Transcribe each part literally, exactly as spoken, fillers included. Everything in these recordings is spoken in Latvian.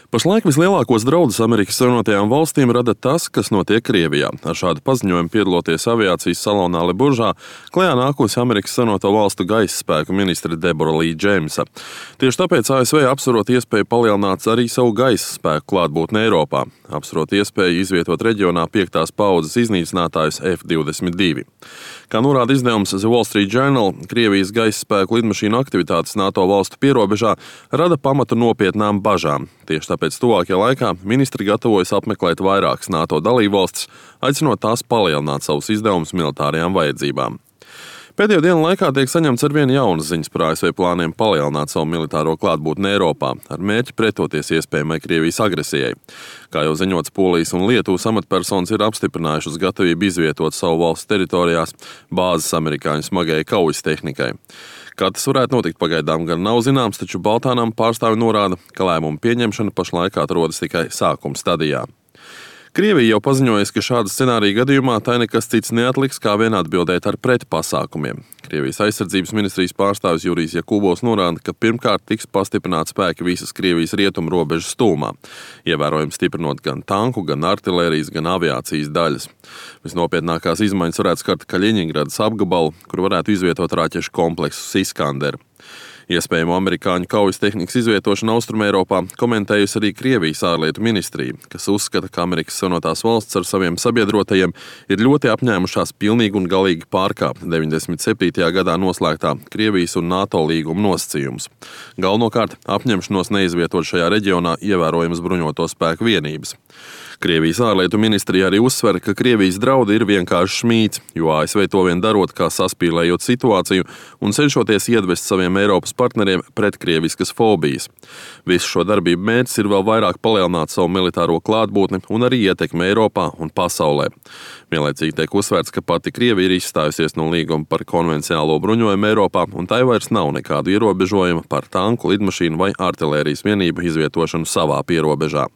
Pašlaik vislielākos draudus Amerikas Savienotajām valstīm rada tas, kas notiek Krievijā. Ar šādu paziņojumu piedaloties aviācijas salonā Leburžā klajā nākusi Amerikas Savienoto valstu gaisa spēku ministre Debora Lī Džeimsa. Tieši tāpēc A S V apsverot iespēju palielināt arī savu gaisa spēku klātbūtni Eiropā, apsverot iespēju izvietot reģionā piektās paaudzes iznīcinātājus F divdesmit divi. Kā norāda izdevums The Wall Street Journal, Krievijas gaisa spēku lidmašīnu aktivitātes NATO valstu pierobežā rada pamatu nopietnām bažām. Tieši tāpēc tuvākajā laikā ministri gatavojas apmeklēt vairākas NATO dalībvalstis, aicinot tās palielināt savus izdevumus militārajām vajadzībām. Pēdējo dienu laikā tiek saņemts arvien jaunas ziņas par A S V plāniem palielināt savu militāro klātbūtni Eiropā, ar mērķi pretoties iespējamai Krievijas agresijai. Kā jau ziņots, Polijas un Lietuvas amatpersonas ir apstiprinājušas gatavību izvietot savu valsts teritorijās bāzes amerikāņu smagajai kaujas tehnikai. Kā tas varētu notikt, pagaidām gan nav zināms, taču Baltānam pārstāvi norāda, ka lēmumu pieņemšana pašlaik atrodas tikai sākuma stadijā. Krievija jau paziņojusi, ka šāda scenārija gadījumā tai nekas cits neatliks, kā vien atbildēt ar pretpasākumiem. Krievijas aizsardzības ministrijas pārstāvis Jurijs Jakubovs norāda, ka pirmkārt tiks pastiprināti spēki visas Krievijas rietumu robežas tūmā, ievērojami stiprinot gan tanku, gan artilērijas, gan aviācijas daļas. Visnopietnākās izmaiņas varētu skart Kaļiņingradas apgabalu, kur varētu izvietot raķešu kompleksus Iskander. Iespējamo amerikāņu kaujas tehnikas izvietošanu Austrumeiropā komentējusi arī Krievijas ārlietu ministrija, kas uzskata, ka Amerikas Savienotās valsts ar saviem sabiedrotajiem ir ļoti apņēmušās pilnīgi un galīgi pārkāpt deviņdesmit septītajā gadā noslēgtā Krievijas un NATO līguma nosacījumus. Galvenokārt apņemšanos neizvietot šajā reģionā ievērojamas bruņoto spēku vienības. Krievijas ārlietu ministrija arī uzsver, ka Krievijas draudi ir vienkārši šmīts, jo A S V to vien darot, kā saspīlējot situāciju un cenšoties iedvest saviem Eiropas partneriem pretkrieviskas fobijas. Visu šo darbību mērķis ir vēl vairāk palielināt savu militāro klātbūtni un arī ietekmi Eiropā un pasaulē. Vienlaicīgi tiek uzsvērts, ka pati Krievija ir izstājusies no līguma par konvencionālo bruņojumu Eiropā, un tai vairs nav nekādu ierobežojumu par tanku, lidmašīnu vai artilērijas vienību izvietošanu savā pierobežā.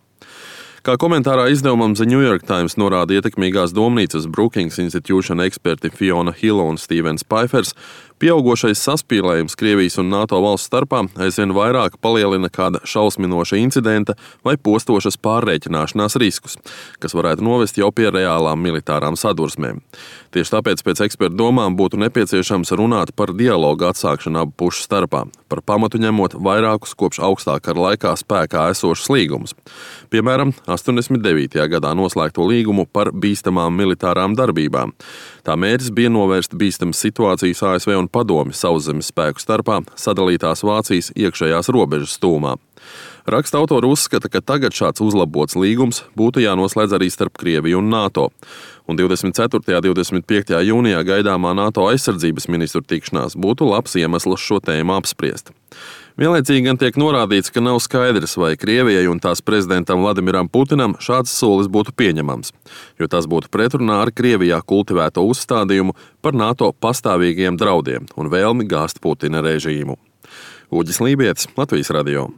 Kā komentārā izdevumam The New York Times norāda ietekmīgās domnīcas Brookings Institution eksperti Fiona Hilla un Stevens Paifers, pieaugošais saspīlējums Krievijas un NATO valstu starpā aizvien vairāk palielina kāda šausminoša incidenta vai postošas pārrēķināšanās riskus, kas varētu novest jau pie reālām militārām sadursmēm. Tieši tāpēc pēc ekspertu domām būtu nepieciešams runāt par dialogu atsākšanu abu pušu starpā, par pamatu ņemot vairākus kopš augstā kara laikā spēkā esošus līgumus. Piemēram, astoņdesmit devītajā gadā noslēgto līgumu par bīstamām militārām darbībām. Tā mērķis bija novērst bīstamas situācijas A S V un Padomju sauszemes spēku starpā sadalītās Vācijas iekšējās robežas tūmā. Raksta autori uzskata, ka tagad šāds uzlabots līgums būtu jānoslēdz arī starp Krieviju un NATO. Un divdesmit ceturtajā un divdesmit piektajā jūnijā gaidāmā NATO aizsardzības ministru tikšanās būtu labs iemesls šo tēmu apspriest. Vienlaicīgi gan tiek norādīts, ka nav skaidrs, vai Krievijai un tās prezidentam Vladimiram Putinam šāds solis būtu pieņemams, jo tas būtu pretrunā ar Krievijā kultivēto uzstādījumu par NATO pastāvīgiem draudiem un vēlmi gāzt Putina režīmu. Uģis Lībietis, Latvijas radio.